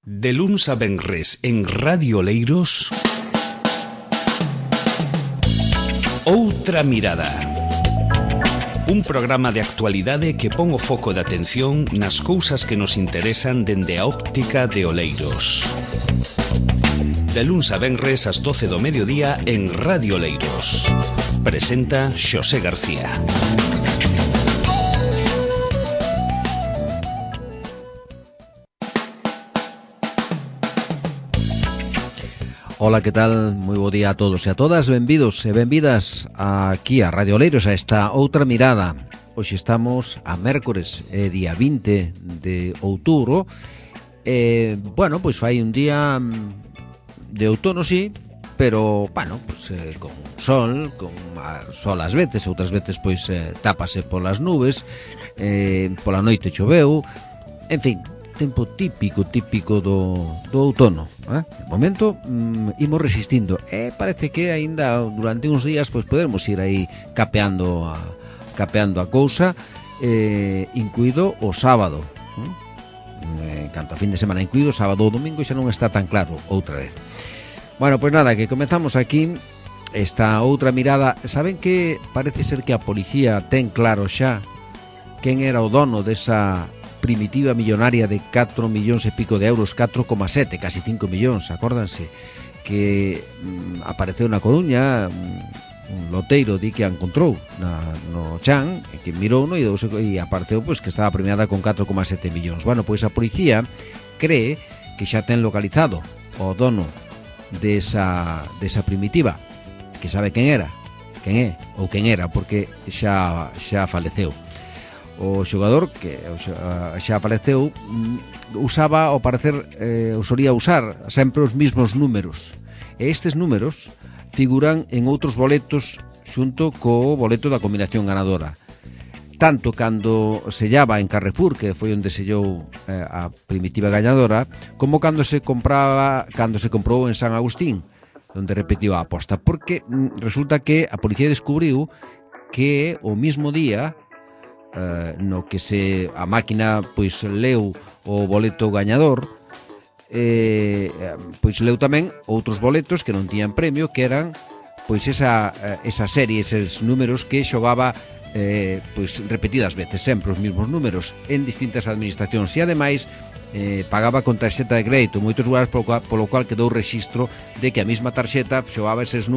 De luns a venres en Radio Oleiros, Outra Mirada. Un programa de actualidade que pon o foco de atención nas cousas que nos interesan dende a óptica de Oleiros. De luns a venres ás 12 do mediodía en Radio Oleiros. Presenta Xosé García. Ola, que tal? Moi bo día a todos e a todas. Benvidos e benvidas aquí a Radio Oleiros, a esta Outra Mirada. Hoxe estamos a mércores, día 20 de outubro. Bueno, pois fai un día de outono, sí, pero, bueno, pois, con sol, sol ás veces, outras veces, pois, tápase polas nubes, pola noite choveu, en fin, tempo típico do outono. De momento imos resistindo e parece que aínda durante uns días pois podermos ir aí capeando a cousa, incluído o sábado, canto a fin de semana, incluído o sábado. O domingo xa non está tan claro outra vez. Bueno, pois nada, que comezamos aquí esta outra mirada. Saben que parece ser que a policía ten claro xa quen era o dono desa primitiva millonaria de 4 millóns e pico de euros, 4,7, casi 5 millóns, acórdanse, que apareceu na Coruña. Un loteiro di que a encontrou no chan, que mirou e apareceu pois que estaba premiada con 4,7 millóns. Bueno, pois a policía cree que xa ten localizado o dono desa primitiva, que sabe quen era, quen é ou quen era, porque xa faleceu. O xogador, que xa apareceu, usaba, ao parecer, solía usar sempre os mismos números. E estes números figuran en outros boletos xunto co boleto da combinación ganadora. Tanto cando sellaba en Carrefour, que foi onde sellou a primitiva gañadora, como cando se comprou en San Agustín, onde repetiu a aposta. Porque resulta que a policía descubriu que o mismo día no que a máquina pois leu o boleto gañador, pois leu tamén outros boletos que non tiñan premio, que eran pois esa serie, eses números que xogaba pois repetidas veces, sempre os mesmos números en distintas administracións, e ademais pagaba con tarxeta de crédito moitos lugares, polo cual quedou rexistro de que a mesma tarxeta pagaba eses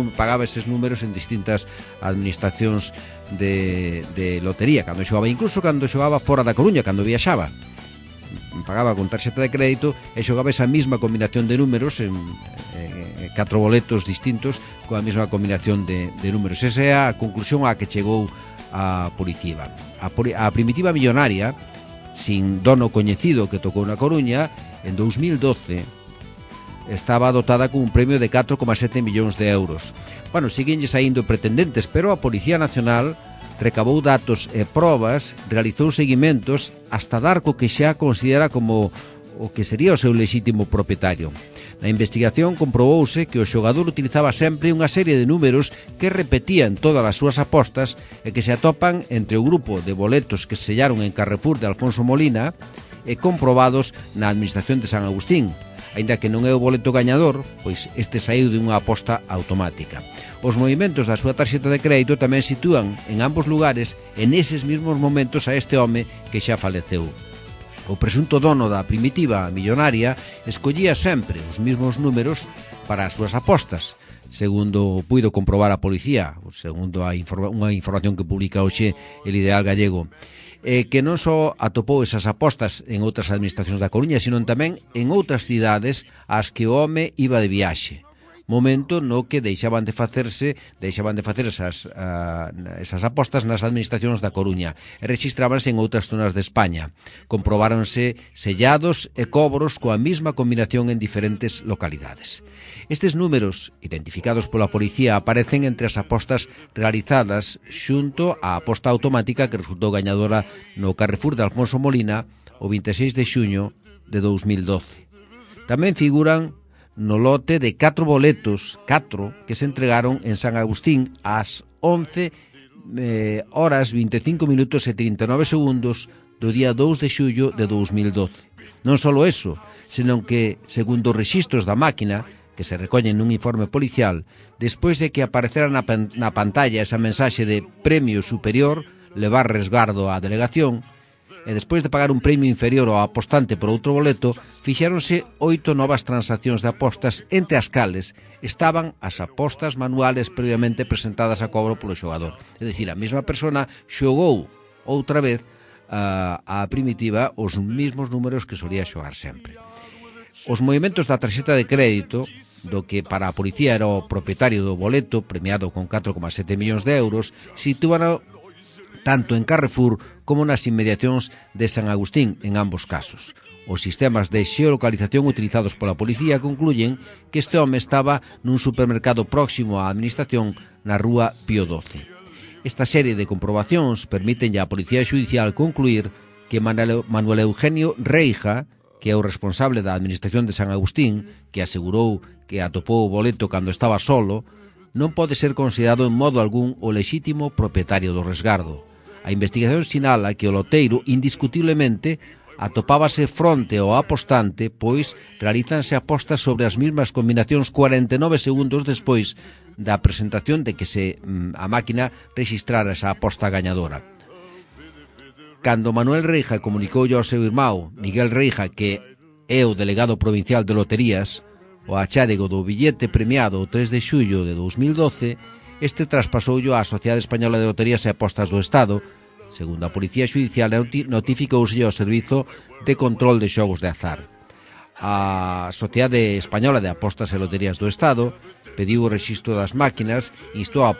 números en distintas administracións de lotería, incluso cando xogaba fora da Coruña, cando viaxaba, pagaba con tarxeta de crédito e xogaba esa mesma combinación de números en 4 boletos distintos coa mesma combinación de números. Esa é a conclusión a que chegou a policía. A primitiva millonaria sin dono coñecido que tocou na Coruña en 2012 estaba dotada con un premio de 4,7 millóns de euros. Bueno, seguenlle saindo pretendentes, pero a Policía Nacional recabou datos e probas, realizou seguimentos hasta dar co que xa considera como o que sería o seu lexítimo propietario. Na investigación comprobouse que o xogador utilizaba sempre unha serie de números que repetían todas as súas apostas e que se atopan entre o grupo de boletos que se sellaron en Carrefour de Alfonso Molina e comprobados na administración de San Agustín. Aínda que non é o boleto gañador, pois este saíu de unha aposta automática. Os movimentos da súa tarxeta de crédito tamén sitúan en ambos lugares en eses mesmos momentos a este home que xa faleceu. O presunto dono da primitiva millonaria escollía sempre os mesmos números para as súas apostas, segundo puido comprobar a policía, segundo unha información que publica hoxe El Ideal Gallego, que non só atopou esas apostas en outras administracións da Coruña, sino tamén en outras cidades ás que o home iba de viaxe, momento no que deixaban de facer esas apostas nas administracións da Coruña e rexistrábanse en outras zonas de España. Comprobáronse sellados e cobros coa mesma combinación en diferentes localidades. Estes números, identificados pola policía, aparecen entre as apostas realizadas xunto á aposta automática que resultou gañadora no Carrefour de Alfonso Molina o 26 de xuño de 2012. Tamén figuran no lote de 4 boletos, 4, que se entregaron en San Agustín ás 11 horas 25 minutos e 39 segundos do día 2 de xullo de 2012. Non só eso, senón que, segundo os rexistros da máquina, que se recollen nun informe policial, despois de que aparecera na pantalla esa mensaxe de premio superior, levar resgardo á delegación, e despois de pagar un premio inferior ao apostante por outro boleto, fixéronse 8 novas transaccións de apostas, entre as cales estaban as apostas manuales previamente presentadas a cobro polo xogador. É dicir, a mesma persona xogou outra vez a primitiva os mesmos números que solía xogar sempre. Os movimentos da tarxeta de crédito, do que para a policía era o propietario do boleto, premiado con 4,7 millóns de euros, sitúano tanto en Carrefour como nas inmediacións de San Agustín, en ambos casos. Os sistemas de xeolocalización utilizados pola policía concluyen que este home estaba nun supermercado próximo á administración na rúa Pío XII. Esta serie de comprobacións permiten á Policía Xudicial concluir que Manuel Eugenio Reija, que é o responsable da administración de San Agustín, que asegurou que atopou o boleto cando estaba solo, non pode ser considerado en modo algún o lexítimo propietario do resgardo. A investigación sinala que o loteiro, indiscutiblemente, atopábase fronte ao apostante, pois realízanse apostas sobre as mesmas combinacións 49 segundos despois da presentación de que a máquina rexistrara esa aposta gañadora. Cando Manuel Reija comunicou ao seu irmão, Miguel Reija, que é o delegado provincial de loterías, o achádego do billete premiado o 3 de xullo de 2012, este traspasoulle á Sociedade Española de Loterías e Apostas do Estado. Segundo a Policía Xudicial, notificouse ao Servizo de Control de Xogos de Azar. A Sociedade Española de Apostas e Loterías do Estado pediu o rexistro das máquinas, instou a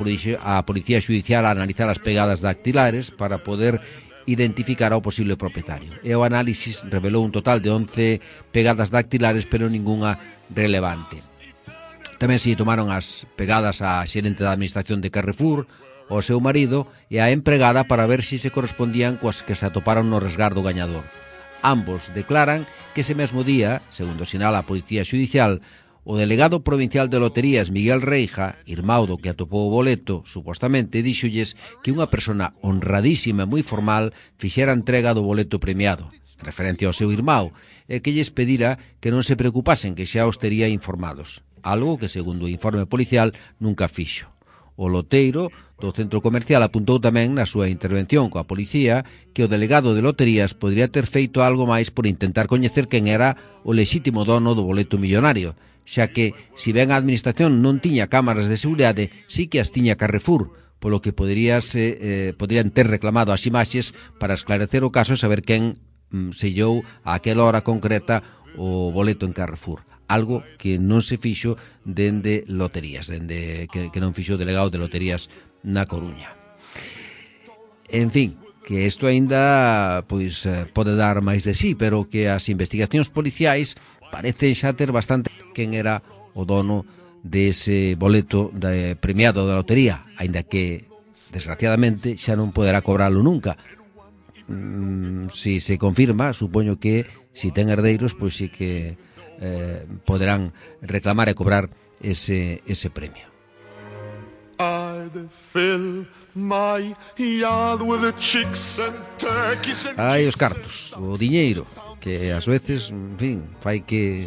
Policía Xudicial a analizar as pegadas dactilares para poder identificar ao posible propietario. E o análisis revelou un total de 11 pegadas dactilares, pero ningunha relevante. Tamén se tomaron as pegadas á xerente da administración de Carrefour, ao seu marido e á empregada para ver se correspondían coas que se atoparon no resgardo gañador. Ambos declaran que ese mesmo día, segundo sinala a Policía Xudicial, o delegado provincial de loterías Miguel Reija, irmão do que atopou o boleto, supostamente, díxolles que unha persona honradísima e moi formal fixera entrega do boleto premiado, referencia ao seu irmão, e que lles pedira que non se preocupasen, que xa os tería informados. Algo que, segundo o informe policial, nunca fixo. O loteiro do centro comercial apuntou tamén na súa intervención coa policía que o delegado de loterías podría ter feito algo máis por intentar coñecer quen era o lexítimo dono do boleto millonario, xa que, si ben a administración non tiña cámaras de seguridade, sí que as tiña Carrefour, polo que podrían ter reclamado as imaxes para esclarecer o caso e saber quen sellou a aquela hora concreta o boleto en Carrefour. Algo que non se fixo dende loterías, dende que non fixo o delegado de loterías na Coruña. En fin, que isto aínda pode dar máis de sí, pero que as investigacións policiais parecen xa ter bastante quen era o dono dese boleto premiado da lotería, aínda que, desgraciadamente, xa non poderá cobralo nunca. Si se confirma, supoño que, si ten herdeiros, pois sí que poderán reclamar e cobrar ese premio. Hai os cartos, o diñeiro, que ás veces, en fin, fai que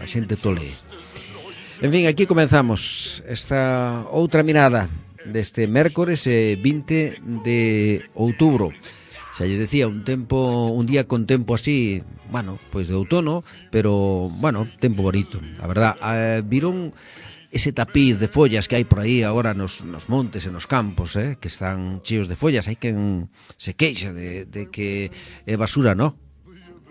a xente tolee. En fin, aquí comenzamos esta outra mirada deste mércores 20 de outubro. Xa lles decía, un día con tempo así, bueno, pois de outono, pero, bueno, tempo bonito, a verdad. Viron ese tapiz de follas que hai por aí agora nos montes e nos campos, que están cheos de follas. Hai quen se queixa de que é basura, non?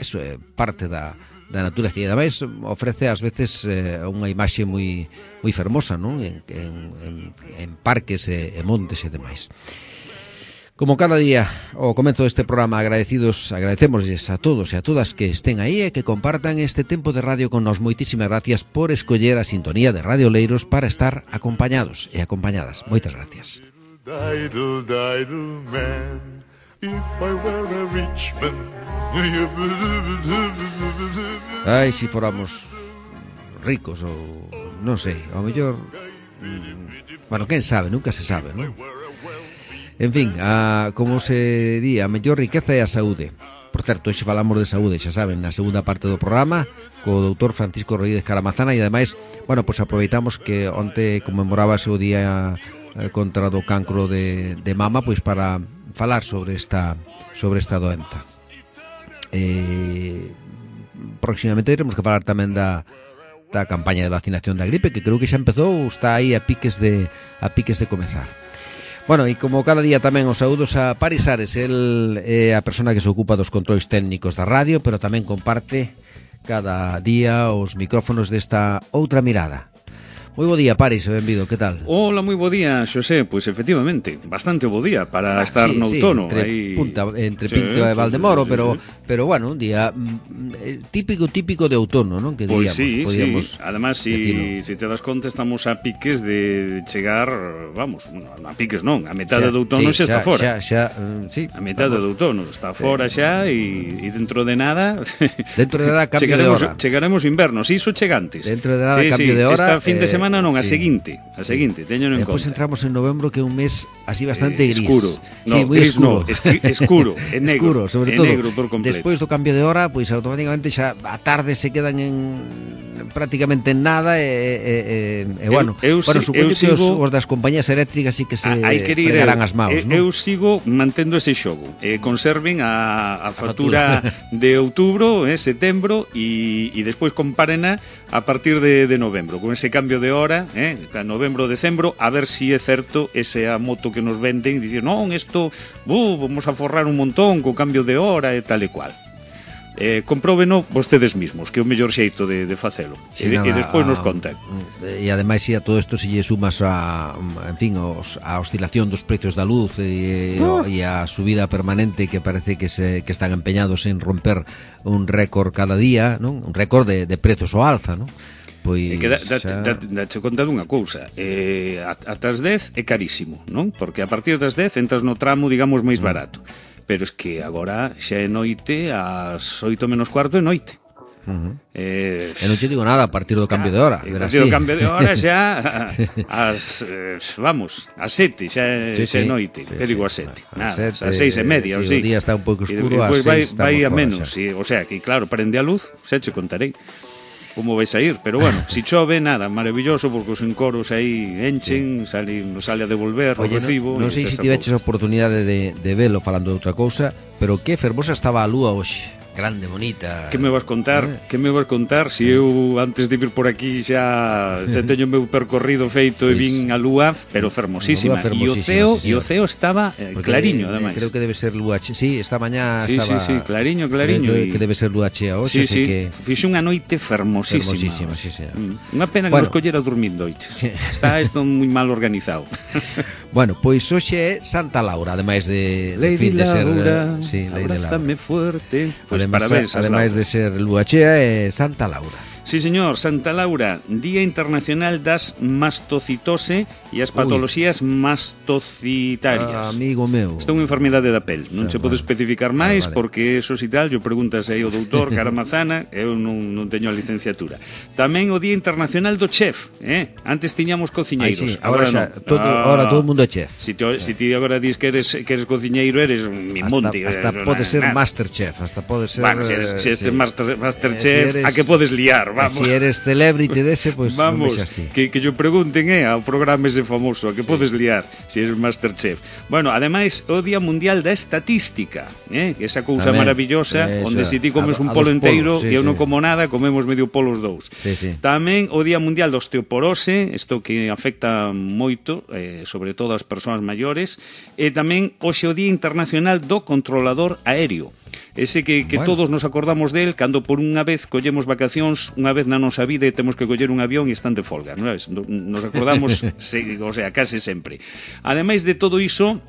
Eso é parte da natureza e ademais ofrece ás veces unha imaxe moi fermosa, non? En parques e montes e demais. Como cada día, ao comezo deste programa, agradecémoslles a todos e a todas que estén aí e que compartan este tempo de radio con nos. Moitísimas gracias por escoller a sintonía de Radio Oleiros para estar acompañados e acompañadas. Moitas gracias. Ai, se fóramos ricos ou non sei, ao mellor, bueno, quen sabe, nunca se sabe, non? En fin, como se di, a mellor riqueza é a saúde. Por certo, hoxe falamos de saúde, xa saben, na segunda parte do programa, co doutor Francisco Rodríguez Caramazana, e ademais, bueno, pois aproveitamos que onte conmemorábase o día contra do cancro de mama, pois para falar sobre esta doenza. Próximamente teremos que falar tamén da campaña de vacinación da gripe, que creo que xa empezou, está aí a piques de comezar. Bueno, e como cada día tamén os saúdos a Paris Ares, el é a persona que se ocupa dos controis técnicos da radio, pero tamén comparte cada día os micrófonos desta outra mirada. Moi bo día, Paris, benvido, que tal? Hola, moi bo día, Xosé. Pois efectivamente, bastante bo día para estar no outono. Entre Pinto e Valdemoro, pero bueno, un día típico de outono, non? Que diríamos, podíamos. Sí. Además, si te das conta, estamos a piques de chegar, vamos, a piques non, a metade do outono xa está fora. Sí. A metade do outono está fora xa e dentro de nada cambio de hora. Chegaremos inverno, si iso chega antes. Dentro de nada cambio de hora. Esta fin de semana non, a seguinte, teño en conta. Depois entramos en novembro, que é un mes así bastante gris. Escuro. Sí, moi escuro. Escuro, é negro. Escuro, sobre todo. Negro por completo. Despois do cambio de hora, pois automáticamente xa a tarde se quedan prácticamente en nada bueno, supoño que os das compañías eléctricas sí que se fregarán as maus, non? Eu sigo mantendo ese xogo. Conserven a factura de outubro, setembro e despois comparena a partir de novembro, con ese cambio de hora, novembro, decembro, a ver si é certo esa moto que nos venden, dicir, non, isto, vamos a forrar un montón co cambio de hora e tal e cual. Compróbeno vostedes mismos, que é o mellor xeito de facelo, e despois nos contan. E ademais, a todo isto se lle sumas a oscilación dos precios da luz e a subida permanente, que parece que están empeñados en romper un récord cada día, non? Un récord de prezos ao alza, non? Pois dache conta dunha cousa, ata as 10 é carísimo, non? Porque a partir das 10 entras no tramo, digamos, máis barato. Pero es que agora xa é noite, ás 8 menos cuarto é noite. E non te digo nada a partir do cambio de hora. A partir do cambio de hora xa ás 7 xa é noite. Que digo ás 7? Nada, ás 6:30. O día está un pouco escuro, ás 6 vai a menos. O sea, que claro, prende a luz, xa te contarei como vais a ir, pero bueno, si chove, nada, maravilloso, porque os encoros aí enchen, sale a devolver o recibo. Non sei se tiveches a oportunidade de velo, falando de outra cousa, pero que fermosa estaba a lúa hoxe. Grande, bonita. Que me vas contar? Que me vas contar? Si eu antes de vir por aquí xa teño o meu percorrido feito e vin a lúa, pero fermosísima. E o ceo estaba clariño, ademais. Creo que debe ser lúa chea. Sí, esta mañá estaba... Sí, clariño. Que debe ser lúa chea hoxe. Sí, fixe unha noite fermosísima. Unha pena que nos collera dormindo hoxe. Está isto moi mal organizado. Bueno, pois hoxe é Santa Laura, ademais de Lady Laura, abrázame fuerte. Ademais de ser lúa chea, é Santa Laura. Sí, señor, Santa Laura, Día Internacional das Mastocitose e as patoloxías mastocitarias. Amigo meu. Esta é unha enfermidade da pel. Non se pode especificar máis, porque eso si tal, yo preguntas aí ao doutor Caramazana, eu non teño a licenciatura. Tamén o Día Internacional do Chef, Antes tiñamos cociñeiros. Agora todo o mundo é chef. Si ti agora dis que eres cociñeiro, eres Mimonti. Hasta pode ser Masterchef, hasta pode ser... Bueno, se este Masterchef, a que podes liar, vamos. Si eres celebrity dese, pois non vexas ti. Que yo pregunten, ao programa ese famoso, a que podes liar si eres Masterchef. Bueno, ademais, o Día Mundial da Estatística, esa cousa maravillosa, onde se ti comes un polo inteiro e eu non como nada, comemos medio polo os dous. Tamén o Día Mundial da Osteoporose, isto que afecta moito, sobre todo as persoas maiores, e tamén hoxe o Día Internacional do Controlador Aéreo. Ese que todos nos acordamos del cando por unha vez collemos vacacións, unha vez na nosa vida e temos que coller un avión e están de folga, non sabes? Nos acordamos, o sea, case sempre. Ademais de todo iso,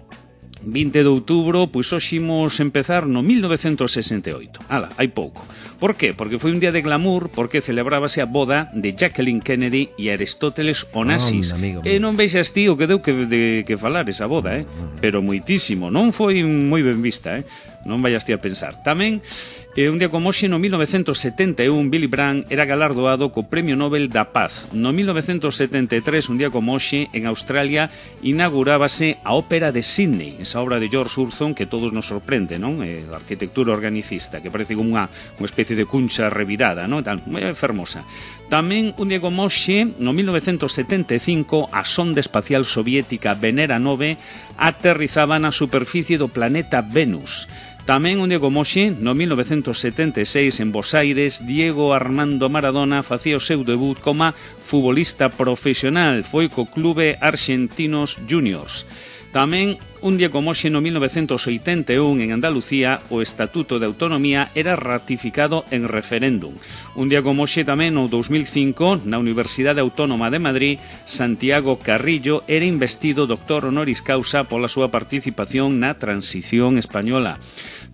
20 de outubro, pois hoxe imos empezar no 1968. Ala, hai pouco. Por qué? Porque foi un día de glamour, porque celebrábase a boda de Jacqueline Kennedy e Aristóteles Onassis. E non vexas ti o que deu que falar esa boda, pero moitísimo. Non foi moi ben vista, non vayas ti a pensar. Tamén E un día como hoxe, no 1971, Willy Brandt era galardoado co Premio Nobel da Paz. No 1973, un día como hoxe, en Australia, inaugurábase a Ópera de Sydney, esa obra de George Curzon que todos nos sorprende, non? A arquitectura organicista, que parece como unha especie de cuncha revirada, non? Tal, moi fermosa. Tamén, un día como hoxe, no 1975, a sonda espacial soviética Venera 9 aterrizaba na superficie do planeta Venus. Tamén un día como hoxe, no 1976, en Bos Aires, Diego Armando Maradona facía o seu debut como futbolista profesional, foi co Clube Argentinos Juniors. Tamén, un día como hoxe, no 1981, en Andalucía, o Estatuto de Autonomía era ratificado en referéndum. Un día como hoxe tamén, no 2005, na Universidade Autónoma de Madrid, Santiago Carrillo era investido doctor honoris causa pola súa participación na transición española.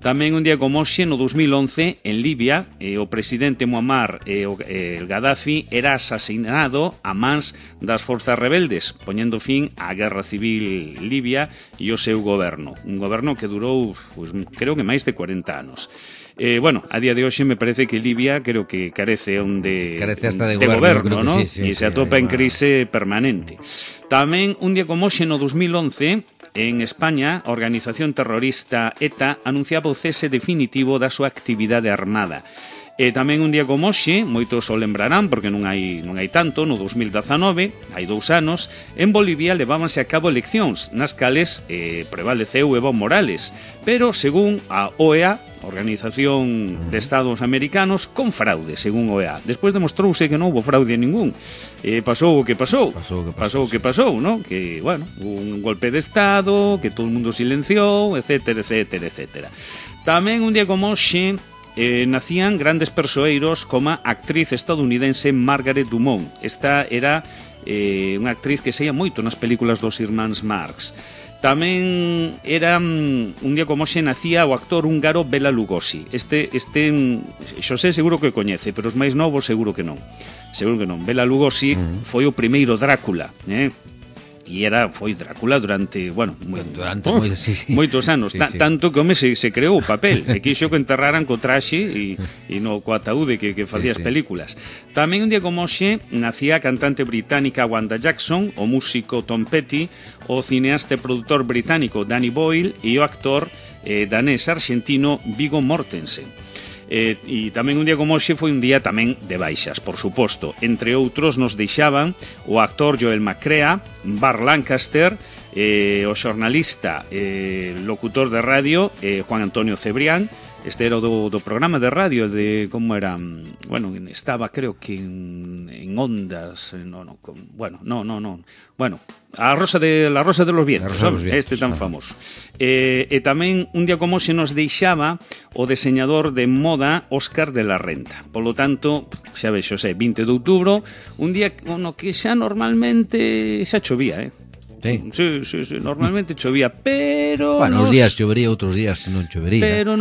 Tamén un día como hoxe, no 2011, en Libia, o presidente Muammar Gaddafi era asesinado a mans das forzas rebeldes, poñendo fin á guerra civil libia e o seu goberno. Un goberno que durou, pues, creo que máis de 40 anos. Bueno, a día de hoxe me parece que Libia creo que carece hasta de goberno, ¿no? Sí, e se atopa en crise permanente. Tamén un día como hoxe, no 2011, en España, a organización terrorista ETA anunciaba o cese definitivo da súa actividade armada. E tamén un día como hoxe, moitos o lembrarán porque non hai tanto, no 2019, hai 2 anos, en Bolivia levábanse a cabo eleccións nas cales prevaleceu Evo Morales, pero según a OEA, Organización de Estados Americanos, con fraude, según OEA. Despois demostrouse que non houve fraude ningún. Pasou o que pasou, ¿no? Que, bueno, un golpe de Estado, que todo o mundo silenciou, etcétera, etcétera, etcétera. Tamén un día como hoxe, nacían grandes persoeiros como a actriz estadounidense Margaret Dumont. Esta era unha actriz que saía moito nas películas dos irmáns Marx. Tamén era un día como hoxe nacía o actor húngaro Bela Lugosi. Este Xosé seguro que o coñece, pero os máis novos seguro que non. Bela Lugosi foi o primeiro Drácula, e foi Drácula durante, moitos anos, tanto que home se creou o papel e quixo que enterraran co traxe e no co ataúde que facía as películas. Tamén un día como hoxe nacía a cantante británica Wanda Jackson, o músico Tom Petty, o cineasta e produtor británico Danny Boyle e o actor danés argentino Viggo Mortensen. E tamén un día como hoxe foi un día tamén de baixas, por suposto. Entre outros nos deixaban o actor Joel McCrea, Burt Lancaster, o xornalista locutor de radio Juan Antonio Cebrián. Este era do programa de radio de como era, bueno, estaba creo que en Ondas, a Rosa de los Vientos, este tan famoso. E tamén un día como hoxe nos deixaba o diseñador de moda Óscar de la Renta. Polo tanto, xa vexo, 20 de outubro, un día no que xa normalmente xa chovía, Sí, normalmente chovía, pero uns días chovería, outros días non chovería. Pero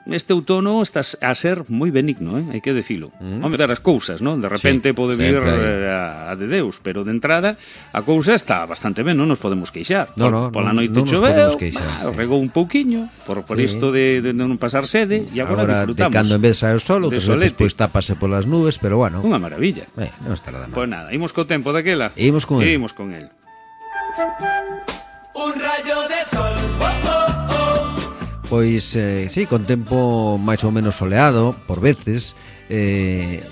este outono está a ser moi benigno, hai que decilo. Vamos dar as cousas, non? De repente pode vir a de Deus, pero de entrada a cousa está bastante ben, non nos podemos queixar. Pola noite choveu, regou un pouquiño por isto de non pasar sede e agora disfrutamos. De cando en vez sae o sol, outros despois tápase polas nubes, pero bueno. Unha maravilla. Non está nada mal. Pois nada, imos co tempo daquela. Imos con el. Un rayo de sol. Pois, con tempo máis ou menos soleado, por veces.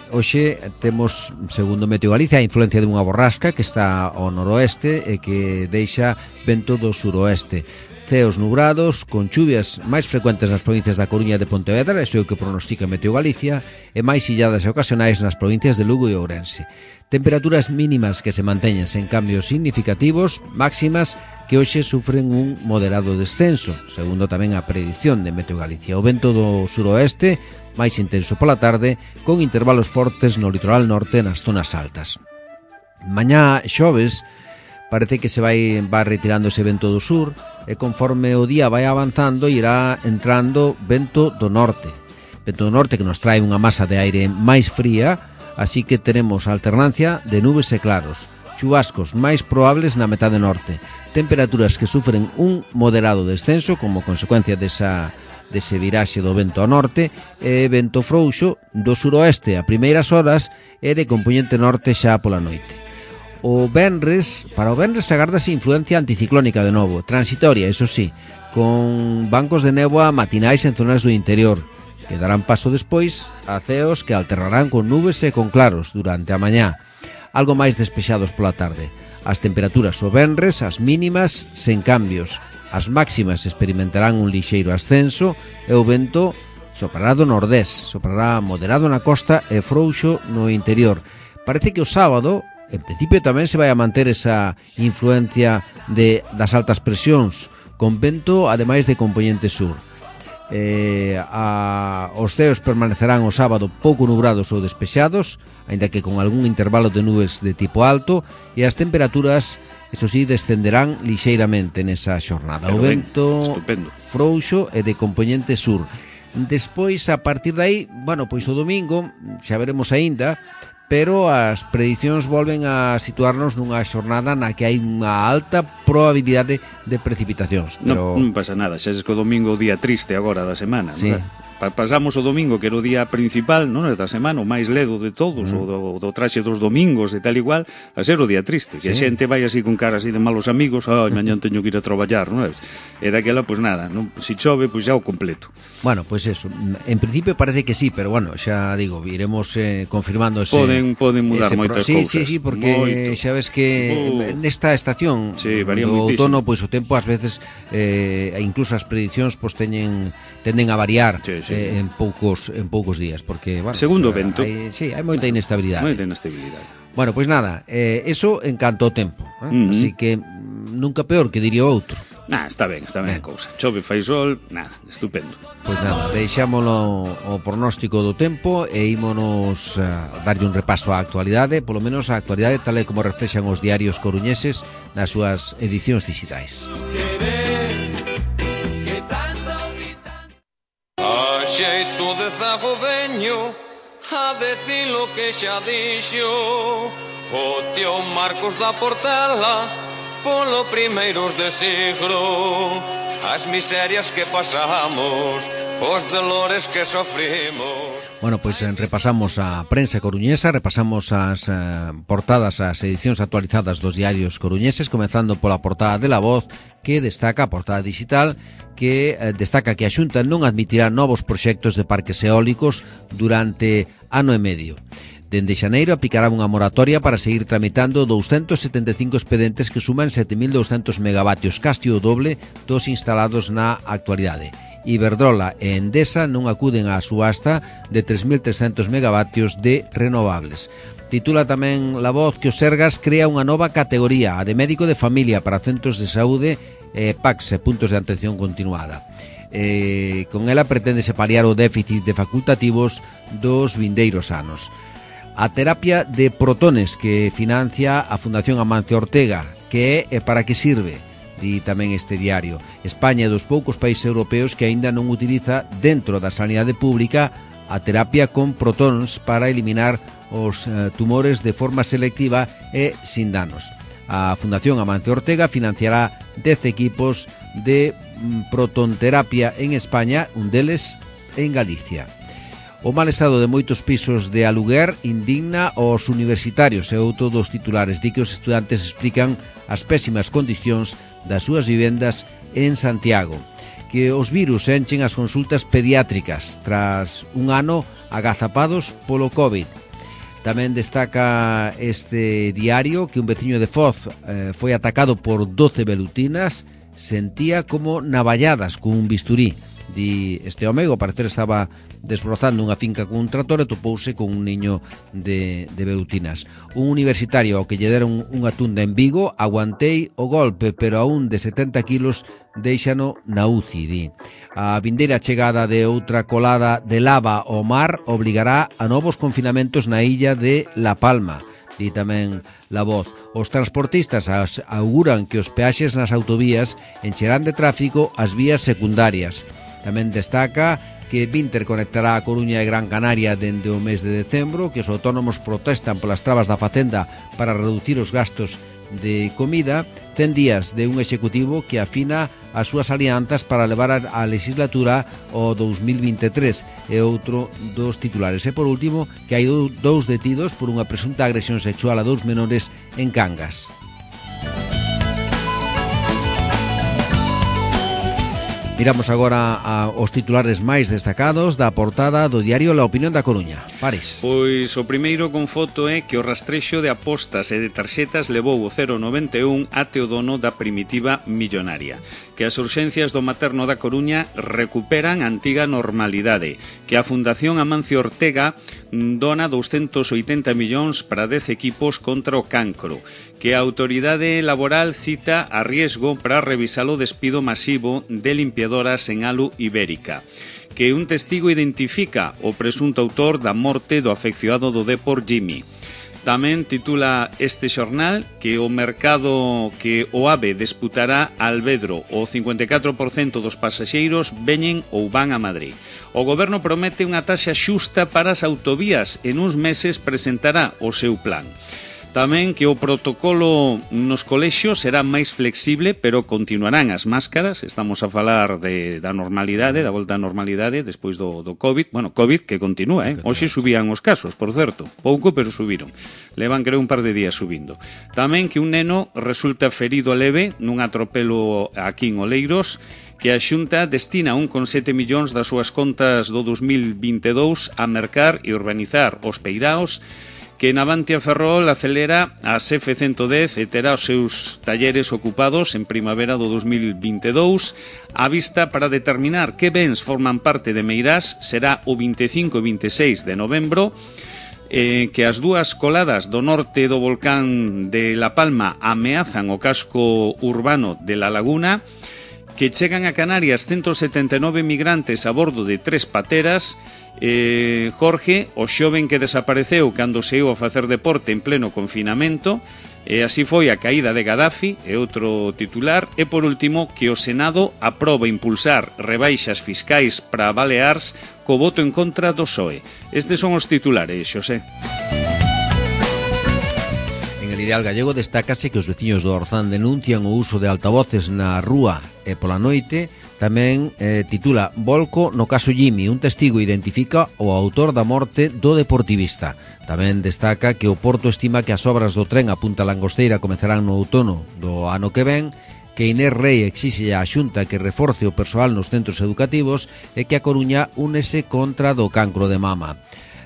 Hoxe temos, segundo Meteo Galicia, a influencia dunha borrasca que está ao noroeste e que deixa vento do suroeste. Ceos nubrados, con chuvias máis frecuentes nas provincias da Coruña e de Pontevedra, iso é o que pronostica Meteo Galicia, e máis illadas e ocasionais nas provincias de Lugo e Ourense. Temperaturas mínimas que se manteñen sen cambios significativos, máximas que hoxe sufren un moderado descenso, segundo tamén a predición de Meteo Galicia. O vento do suroeste, máis intenso pola tarde, con intervalos fortes no litoral norte nas zonas altas. Mañá xoves, parece que se vai retirando ese vento do sur, e conforme o día vai avanzando irá entrando vento do norte que nos trae unha masa de aire máis fría, así que teremos alternancia de nubes e claros, chubascos máis probables na metade norte, temperaturas que sufren un moderado descenso como consecuencia desa dese viraxe do vento ao norte, e vento frouxo do suroeste a primeiras horas e de compoñente norte xa pola noite. Para o venres agardase influencia anticiclónica de novo, transitoria, eso sí, con bancos de néboa matinais en zonas do interior, que darán paso despois a ceos que alternarán con nubes e con claros durante a mañá, algo máis despexados pola tarde. As temperaturas o venres, as mínimas, sen cambios. As máximas experimentarán un lixeiro ascenso e o vento soprará do nordés, soprará moderado na costa e frouxo no interior. Parece que o sábado, en principio, tamén se vai a manter esa influencia das altas presións, con vento, ademais de compoñente sur. Os ceos permanecerán o sábado pouco nubrados ou despexados, aínda que con algún intervalo de nubes de tipo alto, e as temperaturas, eso sí, descenderán lixeiramente nesa xornada. O vento frouxo e de compoñente sur. Despois, a partir de aí, pois o domingo, xa veremos aínda, pero as predicións volven a situarnos nunha xornada na que hai unha alta probabilidade de precipitacións. Pero... Non pasa nada, xa es que o domingo o día triste agora da semana, sí. Non? Pasamos o domingo, que era o día principal, non, da semana, o máis ledo de todos, o do traxe dos domingos e tal igual, a ser o día triste, que a xente vai así con cara así de malos amigos, mañán teño que ir a traballar, non é? E daquela, pois nada, non, si chove, pois xa o completo. Pois eso, en principio parece que sí, pero xa digo, iremos confirmando ese... Poden mudar moitas cousas. Sí, porque xa ves que nesta estación do outono, pois o tempo ás veces, incluso as predicións, pois tenden a variar. Sí. En poucos días, porque segundo vento. Hai moita inestabilidade. Pois nada, eso en canto ao tempo, así que nunca peor, que diría outro. Está ben a cousa. Chove, fai sol, nada, estupendo. Pois nada, deixámolo o pronóstico do tempo e ímonos a darlle un repaso á actualidade, polo menos a actualidade tal e como reflexan os diarios coruñeses nas súas edicións digitais. Xeito de zago veño a decir lo que xa dixo o tío Marcos da Portela polo primeiros de siglo, as miserias que pasamos, os dolores que sofrimos. Pois repasamos a prensa coruñesa, repasamos as portadas, as edicións actualizadas dos diarios coruñeses, comezando pola portada de La Voz, que destaca a portada digital, que destaca que a Xunta non admitirá novos proxectos de parques eólicos durante ano e medio. Dende xaneiro aplicará unha moratoria para seguir tramitando 275 expedientes que suman 7.200 megavatios, casi o doble dos instalados na actualidade. Iberdrola e Endesa non acuden á subasta de 3.300 megavatios de renovables. Titula tamén La Voz que o Sergas crea unha nova categoría, a de médico de familia para centros de saúde PACS, puntos de atención continuada. Con ela preténdese paliar o déficit de facultativos dos vindeiros anos. A terapia de protones que financia a Fundación Amancio Ortega, que é e para que sirve, di tamén este diario. España é dos poucos países europeos que aínda non utiliza dentro da sanidade pública a terapia con protóns para eliminar os tumores de forma selectiva e sin danos. A Fundación Amancio Ortega financiará 10 equipos de protonterapia en España, un deles en Galicia. O mal estado de moitos pisos de aluguer indigna aos universitarios e outro dos titulares di que os estudantes explican as pésimas condicións das súas vivendas en Santiago, que os virus enchen as consultas pediátricas tras un ano agazapados polo COVID. Tamén destaca este diario que un veciño de Foz foi atacado por 12 velutinas, sentía como navalladas con un bisturí. Di este home, ao parecer estaba desbrozando unha finca con un tractor e topouse con un niño de velutinas. Un universitario ao que lle deron unha tunda en Vigo, aguantei o golpe, pero a un de 70 kilos deixano na UCI, di. A vindeira chegada de outra colada de lava ao mar obligará a novos confinamentos na illa de La Palma. Di tamén La Voz. Os transportistas auguran que os peaxes nas autovías encherán de tráfico as vías secundarias. Tamén destaca que Vinter conectará a Coruña e Gran Canaria dende o mes de decembro, que os autónomos protestan polas trabas da Facenda para reducir os gastos de comida, ten días de un executivo que afina as súas alianzas para levar a legislatura ao 2023, e outro dos titulares. E por último, que hai dous detidos por unha presunta agresión sexual a 2 menores en Cangas. Miramos agora aos titulares máis destacados da portada do diario La Opinión da Coruña. Pares. Pois o primeiro con foto é que o rastrexo de apostas e de tarxetas levou o 091 até o dono da primitiva millonaria. Que as urxencias do materno da Coruña recuperan a antiga normalidade. Que a Fundación Amancio Ortega dona 280 millóns para 10 equipos contra o cancro. Que a autoridade laboral cita a riesgo para revisar o despido masivo de limpiadoras en Alu Ibérica. Que un testigo identifica o presunto autor da morte do afeccionado do Depor Jimmy. Tamén titula este xornal que o mercado que o AVE disputará a Alvedro. O 54% dos pasaxeiros veñen ou van a Madrid. O goberno promete unha taxa xusta para as autovías e nuns meses presentará o seu plan. Tamén que o protocolo nos colexios será máis flexible, pero continuarán as máscaras. Estamos a falar da normalidade, da volta á normalidade despois do COVID. Bueno, COVID que continúa, Hoxe subían os casos, por certo. Pouco, pero subiron. Levan, creo, un par de días subindo. Tamén que un neno resulta ferido leve nun atropelo aquí en Oleiros, que a Xunta destina 1,7 millóns das súas contas do 2022 a mercar e urbanizar os peiraos, que Navantia Ferrol acelera as F-110 e terá os seus talleres ocupados en primavera do 2022. A vista para determinar que bens forman parte de Meirás será o 25 e 26 de novembro. Que as dúas coladas do norte do volcán de La Palma ameazan o casco urbano de La Laguna. Que chegan a Canarias 179 migrantes a bordo de 3 pateras. Jorge, o xoven que desapareceu cando se iu a facer deporte en pleno confinamento, e así foi a caída de Gaddafi, é outro titular. E por último, que o Senado aproba impulsar rebaixas fiscais para Baleares co voto en contra do PSOE. Estes son os titulares, Xosé. En el Ideal Gallego destácase que os veciños do Orzán denuncian o uso de altavoces na rúa e pola noite. Tamén titula Volco no caso Jimmy, un testigo identifica o autor da morte do deportivista. Tamén destaca que o Porto estima que as obras do tren a Punta Langosteira comezarán no outono do ano que ven, que Inés Rei exixe á Xunta que reforce o persoal nos centros educativos e que a Coruña únese contra do cancro de mama.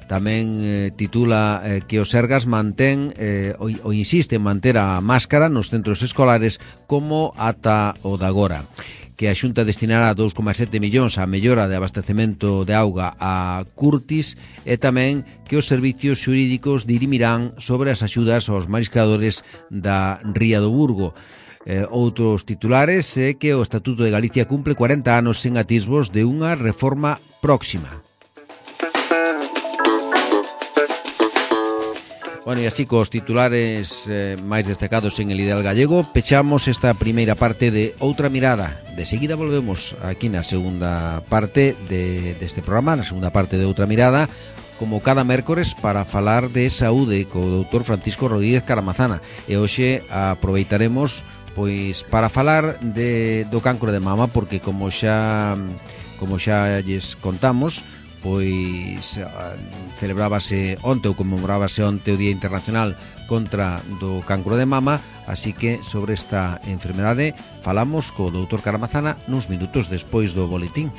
Tamén titula que o Sergas mantén ou insiste en manter a máscara nos centros escolares como ata o de agora. Que a Xunta destinará 2,7 millóns á mellora de abastecemento de auga a Curtis, e tamén que os servicios xurídicos dirimirán sobre as axudas aos mariscadores da Ría do Burgo. Outros titulares é que o Estatuto de Galicia cumple 40 anos sen atisbos de unha reforma próxima. Bueno, e así cos titulares máis destacados en el Ideal Gallego, pechamos esta primeira parte de Outra Mirada. De seguida volvemos aquí na segunda parte deste programa, na segunda parte de Outra Mirada, como cada mércores para falar de saúde co doutor Francisco Rodríguez Caramazana. E hoxe aproveitaremos pois para falar do cancro de mama, porque como xa lles contamos, pois celebrábase onte ou conmemorábase onte o Día Internacional contra do cancro de mama, así que sobre esta enfermedade falamos co doutor Caramazana nuns minutos despois do boletín.